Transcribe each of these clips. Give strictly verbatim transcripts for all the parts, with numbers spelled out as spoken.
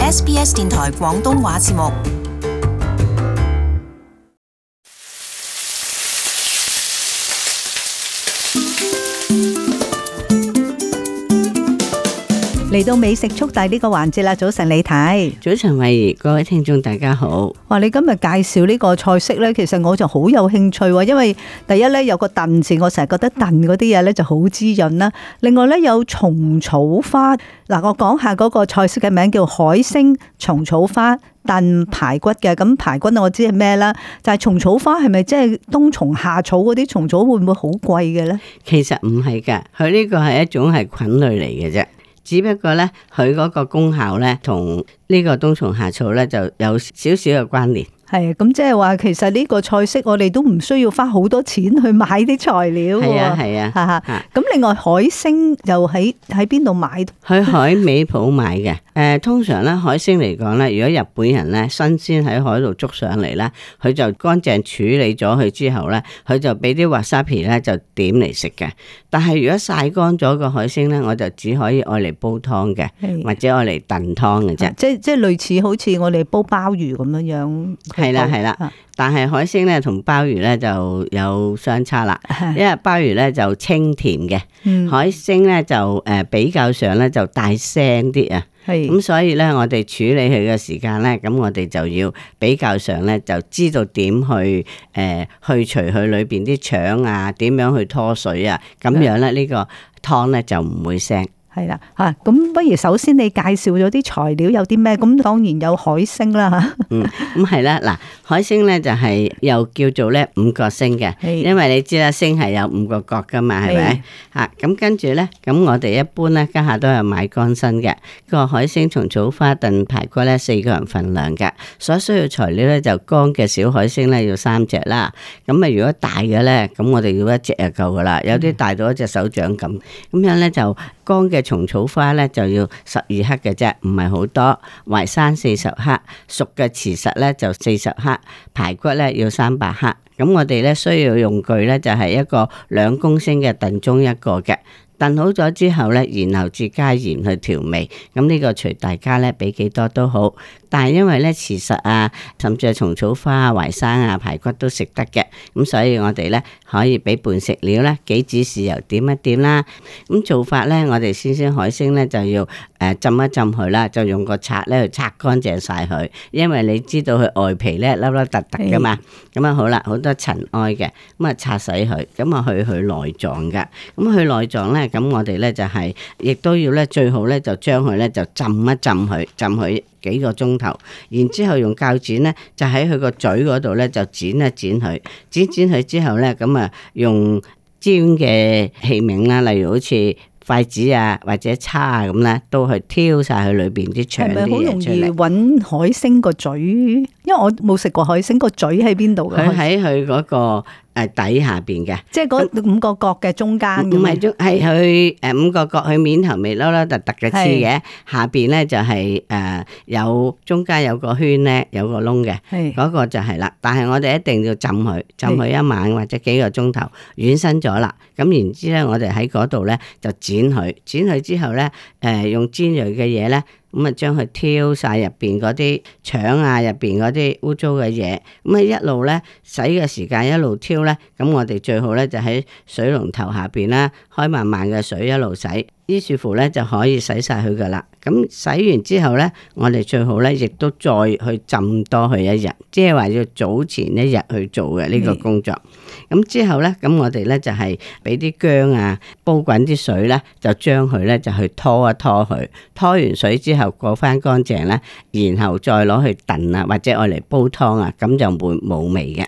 S B S 電台廣東話節目。嚟到美食速遞呢個環節啦，早晨李太，早晨慧怡，各位聽眾大家好。哇！你今日介紹呢個菜式呢，其實我就好有興趣喎，因為第一呢，有個燉字，我成日覺得燉嗰啲嘢呢就好滋潤啦。另外呢，有蟲草花，嗱，我講下嗰個菜式嘅名叫海星蟲草花燉排骨嘅。咁排骨我知係咩啦，就係蟲草花係咪即係冬蟲夏草嗰啲蟲草，會唔會好貴嘅呢？其實唔係㗎，佢呢個係一種係菌類嚟嘅啫。只不過咧，佢嗰個功效咧，同呢個冬蟲夏草咧就有少少嘅關聯。係咁，即係話其實呢個菜式我哋都唔需要花好多錢去買啲材料。係啊係啊，哈哈。咁另外海星又喺喺邊度買？去海味鋪買嘅。誒、呃，通常咧海星嚟講咧，如果日本人咧新鮮喺海度捉上嚟咧，佢就乾淨處理咗佢之後咧，佢就俾啲 wasabi 咧就點嚟食嘅。但係如果曬乾咗個海星咧，我就只可以愛嚟煲湯嘅，或者愛嚟燉湯嘅啫。即即係類似好似我哋煲鮑魚咁樣樣。係啦係啦，但係海星咧同鮑魚咧就有相差啦，因為鮑魚咧就清甜嘅，嗯、海星咧就誒比較上咧就大聲啲啊，咁是所以咧我哋處理佢嘅時間咧，咁我哋就要比較上咧就知道點去誒、呃、去除佢裏邊啲腸啊，點樣去拖水啊，咁樣咧呢個湯咧就唔會腥。係啦，吓，咁不如首先你介紹咗啲材料有啲咩？咁當然有海星啦吓。嗯，咁係啦，嗱，海星咧就係又叫做咧五角星嘅，的因為你知啦，星係有五個角噶嘛，係咪？吓，咁跟住咧，咁我哋一般咧家下都係買乾身嘅，個海星蟲草花燉排骨咧四個人份量嘅，所需要材料咧就乾嘅小海星咧要三隻啦，咁啊如果大嘅咧，咁我哋要一隻就夠噶啦，有啲大到一隻手掌咁，咁樣咧就乾嘅蟲草花咧就要十二克嘅啫，唔係好多。淮山四十克，熟嘅茨實咧就四十克，排骨咧要三百克。咁我哋咧需要用具咧就係一個兩公升嘅燉盅一個嘅。燉好咗之後咧，然後至加鹽去調味。咁呢個隨大家咧俾幾多都好。但係因為咧茨實啊，甚至係蟲草花啊、淮山啊、排骨都食得嘅，咁所以我哋咧可以俾半食料啦，幾指豉油點一點啦。咁做法咧，我哋先先海星咧就要誒浸一浸佢啦，就用個刷咧去刷乾淨晒佢，因為你知道佢外皮咧粒粒突突噶嘛。咁啊好啦，好多塵埃嘅，咁啊擦洗佢，咁啊去佢內臟噶。咁去內臟咧，咁我哋咧就係、是、亦都要咧最好咧就將佢咧就浸一浸佢，浸佢幾個鐘頭，然之後用鉸剪咧就喺佢個嘴嗰度咧就剪一剪佢，剪剪佢之後咧咁啊用尖嘅器皿啦，例如好似筷子啊或者叉啊咁咧，都去挑晒佢裏邊啲腸啲嘢出嚟。係咪好容易搵海星個嘴？因為我冇食過海星個嘴喺邊度嘅。佢喺佢嗰個誒底下邊嘅，即係嗰五個角嘅中間。唔係中，係佢誒五個角，佢面頭尾凹凹凸凸嘅黐嘅，是下邊咧就係、是、誒、呃、有中間有個圈咧，有個窿嘅，嗰是個就係啦。但係我哋一定要浸佢，浸佢一晚或者幾個鐘頭，軟身咗啦。咁然之咧，我哋喺嗰度咧就剪佢，剪佢之後咧誒、呃、用尖銳嘅嘢咧。咁啊，將佢挑晒入邊嗰啲腸啊，入邊嗰啲污糟嘅嘢，咁啊一路咧洗嘅時間一路挑咧，咁我哋最好咧就喺水龍頭下邊啦，開慢慢嘅水一路洗，於是乎咧就可以洗晒佢噶啦。咁洗完之後咧，我哋最好咧亦都再去浸多佢一日，即係話要早前一日去做嘅呢個工作。咁之後咧，咁我哋咧就係俾啲薑啊，煲滾啲水咧，就將佢咧就去拖一拖佢，拖完水之後過翻乾淨咧，然後再攞去燉啊，或者愛嚟煲湯啊，咁就會冇味嘅。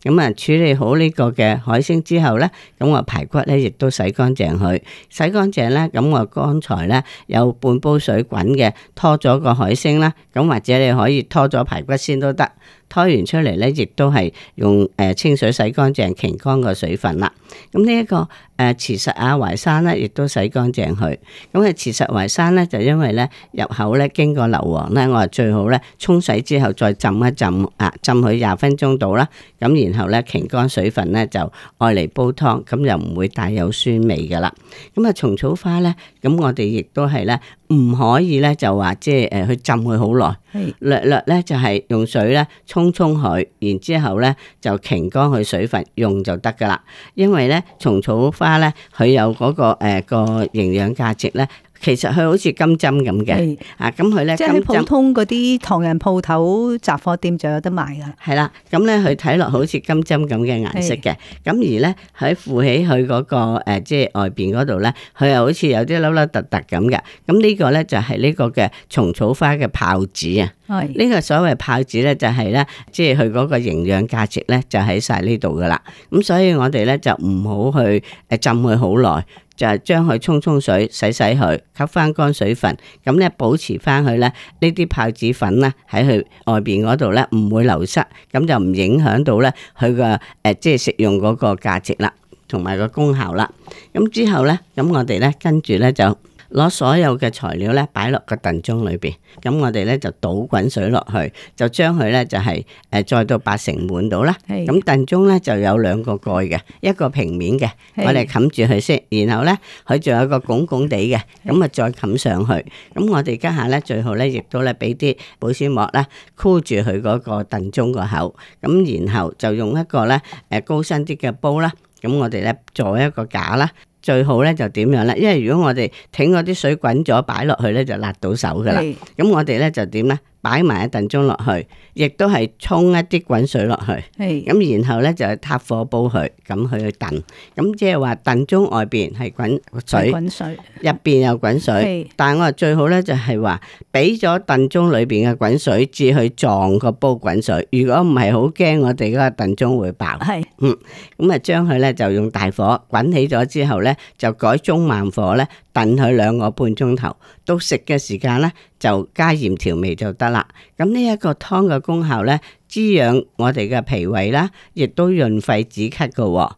咁啊，處理好呢個嘅海星之後咧，咁我排骨咧亦都洗乾淨佢，洗乾淨咧，咁我剛才咧有半煲水滾嘅，拖咗個海星啦，咁或者你可以拖咗排骨先都得。拖完出嚟咧，亦都係用誒清水洗乾淨，擎乾個水分啦。咁呢一個誒慈實亞淮山咧，亦都洗乾淨佢。咁啊慈實淮山咧，就因為咧入口咧經過硫磺咧，我話最好咧沖洗之後再浸一浸啊，浸佢廿分鐘到啦。咁然後咧擎乾水分咧就愛嚟煲湯，咁又唔會帶有酸味噶啦。咁啊蟲草花咧，咁我哋亦都係咧唔可以咧就話即係誒去浸佢好耐，略略咧就係用水咧沖沖佢，然之後咧就擎乾佢水分用就得噶啦。因為咧蟲草花咧佢有嗰、嗰個誒、呃嗰個營養價值咧。其實佢好似金針咁嘅，啊咁佢咧，即係普通嗰啲唐人鋪頭雜貨店就有得賣噶。係啦，咁咧佢睇落好似金針咁嘅顏色嘅，咁而咧喺附起佢嗰個誒，即係外邊嗰度咧，佢又好似有啲凹凹凸凸咁嘅。咁呢個咧就係呢個嘅蟲草花嘅泡子啊。係呢個所謂泡子咧，就係咧，即係佢嗰個營養價值咧，就喺晒呢度噶啦。咁所以我哋咧就唔好去誒浸佢好耐。就係將佢沖沖水洗洗佢，吸翻乾水分，咁咧保持翻佢咧呢啲泡子粉咧喺佢外邊嗰度咧唔會流失，咁就唔影響到咧佢個誒即係食用嗰個價值啦，同埋個功效啦。咁之後咧，咁我哋咧跟住咧就攞所有嘅材料咧擺落個燉盅裏邊，咁我哋咧就倒滾水落去，就將佢咧就係誒載到八成滿到啦。咁燉盅咧就有兩個蓋嘅，一個平面嘅，我哋冚住佢先，然後咧佢仲有個拱拱地嘅，咁啊再冚上去。咁我哋家下咧最好咧亦都咧俾啲保鮮膜咧箍住佢嗰個燉盅個口，咁然後就用一個咧誒高身啲嘅煲啦，咁我哋咧做一個架啦。最好咧就點樣咧？因為如果我哋挺嗰啲水滾咗擺落去咧，就辣到手噶啦。咁我哋咧就點咧？擺埋一燉盅落去，亦都係沖一啲滾水落去。咁然後咧就撻火煲佢，咁去去燉。咁即係話燉盅外邊係滾水，滾水入邊又滾水。但係我話最好咧就係話俾咗燉盅裏邊嘅滾水，至去撞個煲滾水。如果唔係，好驚我哋嗰個燉盅會爆。係，嗯，咁啊將佢咧就用大火滾起咗之後咧，就改中慢火咧燉佢兩個半鐘頭。到食嘅時間咧就加鹽調味就得啦。咁呢一個湯嘅功效咧，滋養我哋嘅脾胃啦，亦都潤肺止咳嘅，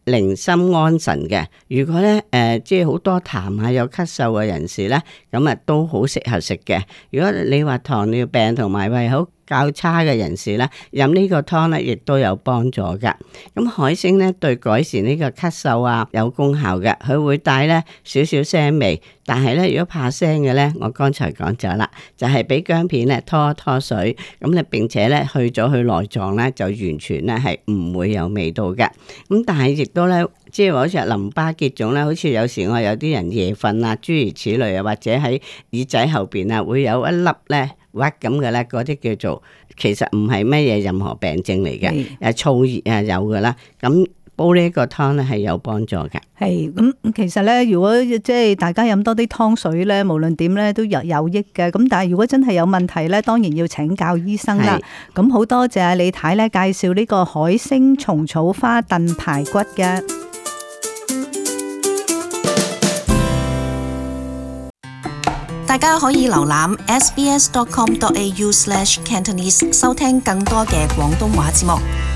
寧心安神嘅。如果咧誒、呃、即係好多痰啊，有咳嗽嘅人士咧，咁啊都好適合食嘅。如果你話糖尿病同埋胃口較差嘅人士咧，飲呢個湯咧亦都有幫助噶。咁海星咧對改善呢個咳嗽啊有功效嘅，佢會帶咧少少腥味。但係咧如果怕腥嘅咧，我剛才講咗啦，就係俾薑片咧拖一拖水，咁咧並且咧去咗佢內臟咧，就完全咧係唔會有味道嘅。咁但係亦都咧，即係話好似淋巴結腫咧，好似有時我有啲人夜瞓啊，諸如此類啊，或者喺耳仔後邊啊會有一粒咧屈咁嘅咧，嗰啲叫做其實唔係乜嘢任何病症嚟嘅，誒燥熱啊有噶啦，咁煲呢一個湯咧係有幫助嘅。係咁，其實咧，如果即係大家飲多啲湯水咧，無論點咧都有有益嘅。咁但係如果真係有問題咧，當然要請教醫生啦。咁好多謝李太咧介紹呢個海星蟲草花燉排骨嘅。大家可以瀏覽 s b s dot com dot a u slash cantonese 收聽更多嘅廣東話節目。